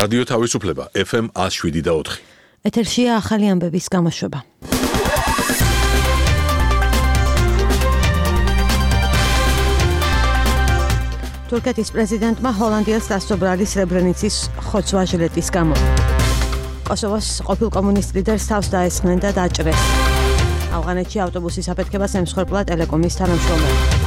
რადიო თავისუფლება FM 107.4. ეთერშია ახალი ამბების გამოშვება. თურქეთის პრეზიდენტმა ჰოლანდიას დასწრა სრებრენიცის ხოცვა ჟილეტის გამო. კოსოვოს ყოფილ კომუნისტ ლიდერს თავს დაესხნენ და დაჭრეს. ავღანეთში ავტობუსის აფეთქებას ემსხვერპლა ტელეკომის თანამშრომელი.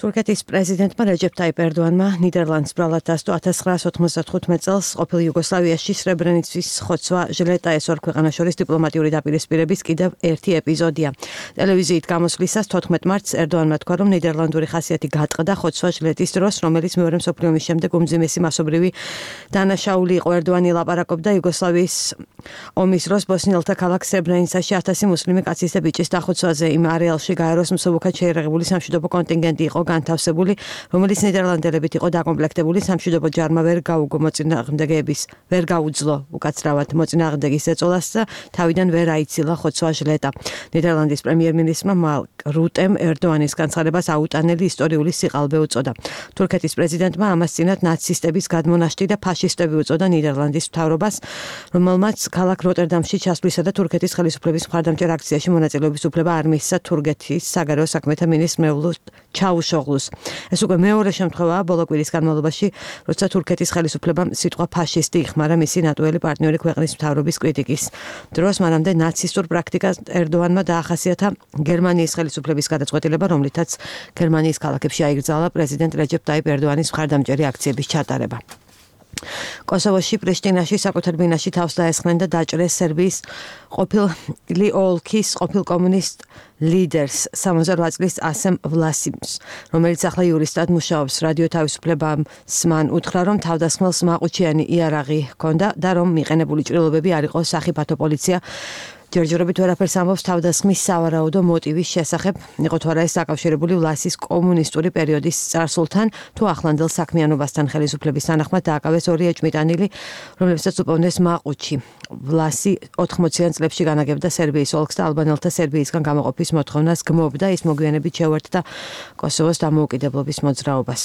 თურქეთის პრეზიდენტმა რეჯეფ ტაიპ ერდოანმა ნიდერლანდს ბრალად დასდო 1995 წელს ყოფილ იუგოსლავიაში სრებრენიცის ხოცვა ჟილეტა ეს ორ ქვეყანას შორის დიპლომატიური დაპირისპირების კიდევ ერთი ეპიზოდია. ტელევიზიით გამოსვლისას 14 მარტს ერდოანმა თქვა, რომ ნიდერლანდური ხასიათი გატყდა ხოცვა ჟილეტის დროს, რომელიც მეორე მსოფლიო ომის შემდეგ უმძიმესი მასობრივი დანაშაული იყო. ერდოანი ლაპარაკობდა იუგოსლავიის ომის დროს ბოსნიელთა ქალაქ სრებრენიცაში 1000 მუსლიმი კაცის და ბიჭის დახოცვაზე. იმ არეალში გაეროს მსუბუქად შეერაღებული სამშვიდობო კონტინგენტი იყო განთავსებული, რომელიც ნიდერლანდელებით იყო დაკომპლექტებული. სამშვიდობო ჯარმა ვერ გაუძლო უკაცრავად მოწინააღმდეგის ეწოლას და თავიდან ვერ აიცილა ხოცვა ჟილეტა. ნიდერლანდის პრემიერ-მინისტრმა მარკ რუტემ ერდოანის განცხადებას აუტანელი ისტორიული სიყალბე უწოდა. თურქეთის პრეზიდენტმა ამას წინათ ნაცისტების გადმონაშთი და ფაშისტები უწოდა ნიდერლანდის მთავრობას, რომელმაც ქალაქ როტერდამში ჩასვლისა და თურქეთის ხელისუფლების მხარდამჭერ აქციაში მონაწილეობის უფლება არ მისცა თურქეთის საგარეო საქმეთა მინისტრ მევლութ ჩაუშოღლუს. ეს უკვე მეორე შემთხვევაა ბოლო კვირის განმავლობაში, როცა თურქეთის ხელისუფლებამ სიტყვა ფაშისტი იხმარა მისი ნატოელი პარტნიორი ქვეყნის მთავრობის კრიტიკის დროს. მანამდე ნაცისტურ პრაქტიკას ერდოანმა დაახასიათა გერმანიის ხელისუფლების გადაწყვეტილება, რომლითაც გერმანიის ქალაქებში აიგრძალა პრეზიდენტ რეჯეფ ტაიპ ერდოანის მხარდამჭერი აქციების ჩატარება. კოსოვოში პრიშტინაში საკუთარ ბინაში თავს დაესხნენ და დაჭრეს სერბიის ყოფილი ოლქის ყოფილ კომუნისტ ლიდერს 68 წლის ასემ ვლასიმს, რომელიც ახლა იურისტად მუშაობს. რადიო თავისუფლებამ სმან უთხრა, რომ თავდასხმელს მაყუჩიანი იარაღი ჰქონდა და რომ მიყენებული ჭრილობები არ იყო სახიფათო პოლიცია ჯერჯერობით ვერაფერს ამბობს თავდასხმის სავარაუდო მოტივის შესახებ, იყო თუ არა ეს დაკავშირებული ვლასის კომუნისტური პერიოდის წარსულთან თუ ახლანდელ საქმიანობასთან. ხელისუფლების თანახმად დააკავეს ორი ეჭვმიტანილი, რომლებსაც უპოვნეს მაყუჩი. ვლასი 80-იან წლებში განაგებდა სერბიის ოლქს და ალბანელთა სერბიისგან გამოყოფის მოთხოვნას გმობდა, ის მოგვიანებით შეუერთდა კოსოვოს დამოუკიდებლობის მოძრაობას.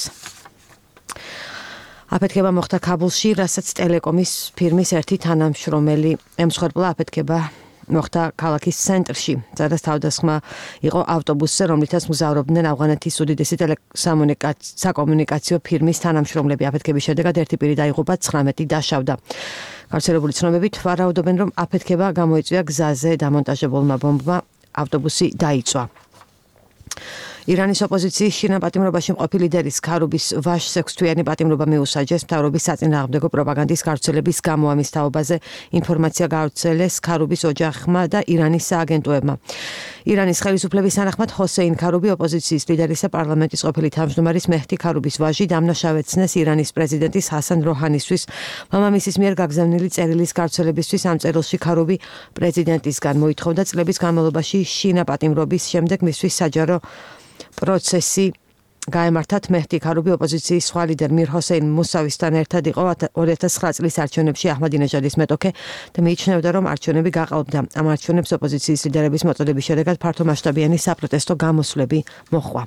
აფეთქება მოხდა ქაბულში, რასაც ტელეკომის ფირმის ერთი თანამშრომელი ემსხვერპლა. აფეთქება მოხდა ქალაქის ცენტრში, სადაც თავდასხმა იყო ავტობუსზე, რომლითაც მგზავრობდნენ ავღანეთის უდიდესი საკომუნიკაციო ფირმის თანამშრომლები. აფეთქების შედეგად ერთი პირი დაიღუპა, 19 დაშავდა. გავრცელებული ცნობებით ვარაუდობენ, რომ აფეთქება გამოიწვია გზაზე დამონტაჟებულმა ბომბმა, ავტობუსი დაიწვა. ირანის ოპოზიციის შინა პატიმრობაში მყოფი ლიდერის ქარუბის ვაშს 6-თვიანი პატიმრობა მიუსაჯეს მთავრობის საწინააღმდეგო პროპაგანდის გავრცელების გამო. ამის თაობაზე ინფორმაცია გავრცელეს ქარუბის ოჯახმა და ირანის სააგენტოებმა. ირანის ხელისუფლების თანახმად ჰოსეინ ქარუბი ოპოზიციის ლიდერის და პარლამენტის ყოფილი თავმჯდომარის მეჰდი ქარუბის ვაჟი დამნაშავეცნეს ირანის პრეზიდენტის ჰასან როჰანისთვის მამამისის მიერ გაგზავნილი წერილის გავრცელებისთვის. ამ წერილში ქარუბი პრეზიდენტისგან მოითხოვდა წლების განმავლობაში შინა პატიმრობის შემდეგ მისთვის საჯარო პროცესი გაემართათ. მეჰდი ქარუბი ოპოზიციის სხვა ლიდერ მირ ჰოსეინ მუსავისთან ერთად იყო 2009 წლის არჩევნებში აჰმადინეჟადის მეტოქე და მიიჩნევდა, რომ არჩევნები გაყალბდა. ამ არჩევნებს ოპოზიციის ლიდერების მოწოდების შედეგად ფართომასშტაბიანი საპროტესტო გამოსვლები მოჰყვა.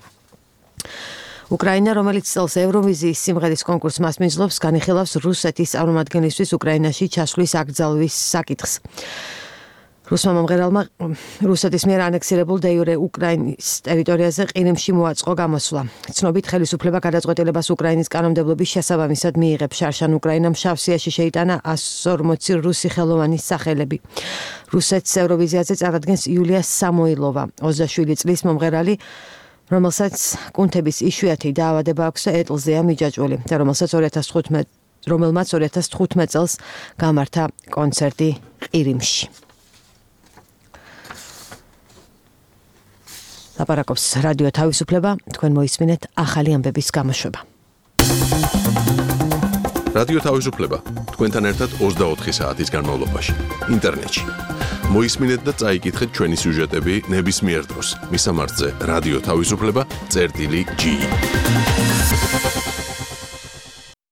უკრაინა, რომელიც წელს ევროვიზიის სიმღერის კონკურსს მასპინძლობს, განიხილავს რუსეთის წარმომადგენლისთვის უკრაინაში ჩასვლის აკრძალვის საკითხს. რუსმა მომღერალმა რუსეთის მიერ ანექსირებულ დე-იურე უკრაინის ტერიტორიაზე ყირიმში მოაწყო გამოსვლა. ცნობით ხელისუფლება გადაწყვეტილებას უკრაინის კანონმდებლობის შესაბამისად მიიღებს. შარშან უკრაინამ შავსიაში შეიტანა 140 რუსი ხელოვანის სახელები. რუსეთს ევროვიზიაზე წარადგენს იულია სამოილოვა, 27 წლის მომღერალი, რომელსაც კუნთების იშვიათი დაავადება აქვს და ეტლზეა მიჯაჭვული და რომელმაც 2015 წელს გამართა კონცერტი ყირიმში. ლაპარაკობს რადიო თავისუფლება, თქვენ მოისმინეთ ახალი ამბების გამოშვება. რადიო თავისუფლება, თქვენთან ერთად 24 საათის განმავლობაში, ინტერნეტში. მოისმინეთ და წაიკითხეთ ჩვენი სიუჟეტები ნებისმიერ დროს. მისამართზე რადიო თავისუფლება.ge